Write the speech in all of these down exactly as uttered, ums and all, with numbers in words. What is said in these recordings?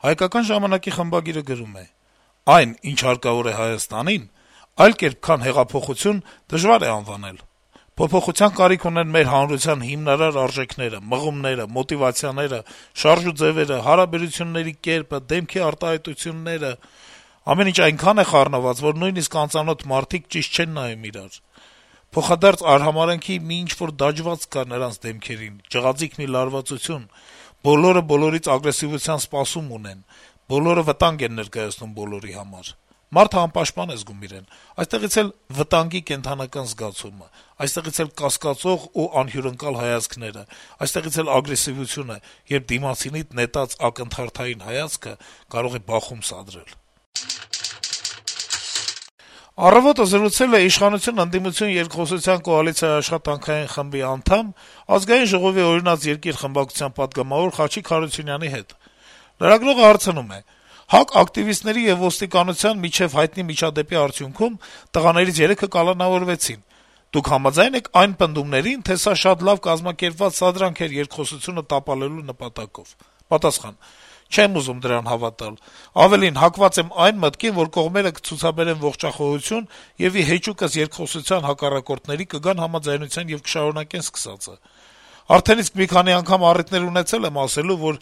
«Հայկական ժամանակ»-ի խմբագիրը գրում է. - «Այն, ինչ հարկավոր է Հայաստանին, այլ կերպ, քան հեղափոխություն, դժվար է անվանել: Փոփոխության կարիք ունեն մեր հանրության հիմնարար արժեքները, մղումները, մոտիվացիաները, շարժուձեւերը, հարաբերությունների կերպը, դեմքի արտահայտությունները: Ամեն ինչ այնքան է խառնված, որ նույնիսկ անծանոթ մարդիկ ճիշտ չեն նայում իրար: Փոխադարձ արհամարհանքի մի ինչ-որ դաջվածք կա նրանց դեմքերին, ջղաձիգ մի լարվածություն: Բոլորը բոլորից ագրեսիվության սպասում ունեն, բոլորը վտանգ են ներկայացնում բոլորի համար: Մարդը անպաշտպան է զգում իրեն: Այստեղից էլ վտանգի կենդանական զգացումը, այստեղից էլ կասկածող ու անհյուրընկալ հայացքները, այստեղից էլ ագրեսիվությունը, երբ դիմացինիդ նետած ակնթարթային հայացքը կարող է բախում սադրել»: «Առավոտ»-ը զրուցել է իշխանություն-ընդդիմություն երկխոսության կոալիցիայի աշխատանքային խմբի անդամ, Ազգային ժողովի «Օրինաց երկիր» խմբակցության պատգամավոր Խաչիկ Հարությունյանի հետ: Լրագրողը հարցնում է. - «ՀԱԿ ակտիվիստների եւ ոստիկանության միջեւ հայտնի միջադեպի արդյունքում տղաներից երեքը կալանավորվեցին: Դուք համաձա՞յն եք այն պնդումներին, թե սա շատ լավ կազմակերպված սադրանք էր երկխոսությունը տապալելու նպատակով»: Պատասխան. - «Չեմ ուզում դրան հավատալ: Ավելին, հակված եմ այն մտքին, որ կողմերը կցուցաբերեն ողջախոհություն եւ ի հեճուկս երկխոսության հակառակորդների կգան համաձայնության եւ կշարունակեն սկսածը: Արդեն իսկ մի քանի անգամ առիթներ ունեցել եմ ասելու, որ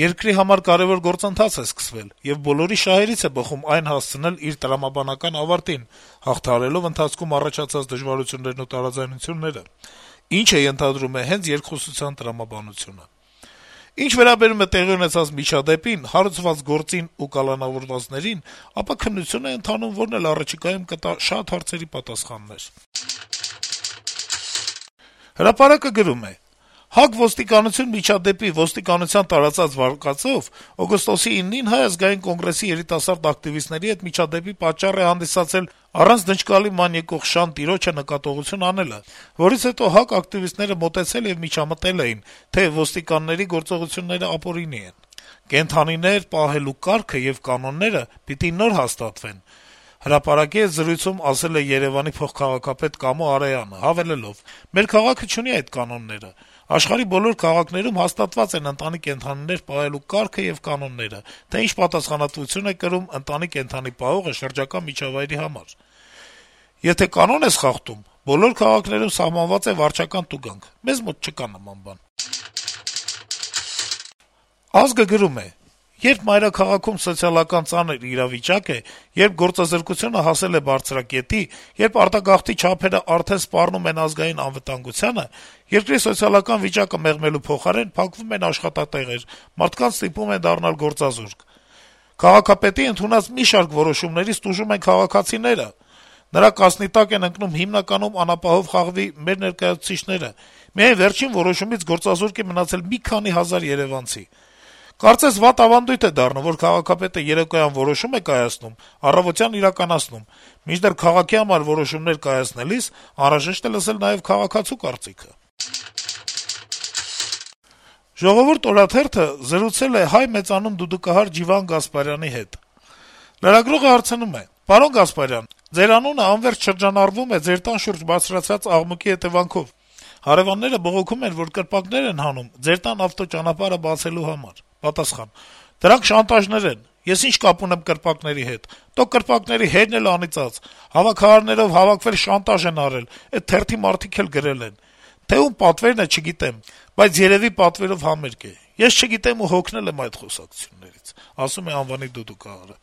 երկրի համար կարեւոր գործընթաց է սկսվել, եւ բոլորի շահերից է բխում այն հասցնել իր տրամաբանական ավարտին` հաղթահարելով ընթացքում առաջացած դժվարություններն ու տարաձայնությունները, ինչը ենթադրում է հենց երկխոսության տրամաբանությունը: Ինչ վերաբերում է տեղի ունեցած միջադեպին, հարուցված գործին ու կալանավորվածներին, ապա քննություն է ընթանում, որն էլ առաջիկայում կտա շատ հարցերի պատասխաններ»: «Հրապարակ»-ը գրում է. - «ՀԱԿ - ոստիկանություն միջադեպի ոստիկանության տարածած վարկածով օգոստոսի իննին Հայ ազգային կոնգրեսի երիտասարդ ակտիվիստների հետ միջադեպի պատճառ է հանդիսացել առանց դժկալի ման եկող Շան տիրոջը նկատողություն անելը, որից հետո ՀԱԿ ակտիվիստները մոտեցել եւ միջամտել էին, թե ոստիկանների գործողությունները ապօրինի են: Կենդանիներ պահելու կարգը եւ կանոնները պիտի նոր հաստատվեն», «Հրապարակ»-ի հետ զրույցում ասել է Երեւանի փոխքաղաքապետ Կամո Արոյանը` հավելելով. - «Մեր քաղաքը չունի այդ կանոնները: Աշխարհի բոլոր քաղաքներում հաստատված են ընտանի կենդանիներ պահելու կարգը եւ կանոնները, թե ինչ պատասխանատվություն է կրում ընտանի կենդանի պահողը շրջակա միջավայրի համար: Եթե կանոն ես խախտում, բոլոր քաղաքներում սահմանված է վարչական տուգանք: Մեզ մոտ չկա նման բան»: «Ազգ»-ը գրում է. - «Երբ մայրաքաղաքում սոցիալական ծանր իրավիճակ է, երբ գործազրկությունը հասել է բարձրակետի, երբ արտագաղթի չափերը արդեն սպառնում են ազգային անվտանգությանը, երկրի սոցիալական վիճակը մեղմելու փոխարեն փակվում են աշխատատեղեր, մարդկանց ստիպում են դառնալ գործազուրկ: Քաղաքապետի ընդունած մի շարք որոշումներից տուժում են քաղաքացիները: Նրա կասնի տակ են ընկնում հիմնականում անապահով խաղի մեր ներկայացուցիչները: Միայն վերջին որոշումից գործազուրկ է մնացել մի քանի հազար երեւանցի: Կարծես վատ ավանդույթ է դառնում, որ քաղաքապետը երեկոյան որոշում է կայացնում, առավոտյան իրականացնում: Մինչդեռ քաղաքի համար որոշումներ կայացնելիս անհրաժեշտ է լսել նաեւ քաղաքացու կարծիքը»: «Ժողովուրդ» օրաթերթը զրուցել է հայ մեծանուն դուդուկահար Ջիվան Գասպարյանի հետ: Լրագրողը հարցնում է. - «Պարոն Գասպարյան, ձեր անունը անվերջ շրջանառվում է ձեր տան շուրջ բարձրացած աղմուկի հետեւանքով: Հարեւանները բողոքում են, որ կրպակներ են հանում ձեր տան ավտոճանապարհը բացելու համար»: Պատասխան. - «Դրանք շանտաժներ են: Ես ինչ կապ ունեմ կրպակների հետ: Տո կրպակների հերն էլ անիծած: Հավաքարարներով հավաքվել շանտաժ են արել, էդ թերթի մարդիկ էլ գրել են: Թե ում պատվերն է, չգիտեմ, բայց երեւի պատվերով համերգ է: Ես չգիտեմ ու հոգնել եմ այդ խոսակցություններից», - ասում է անվանի դուդուկահարը: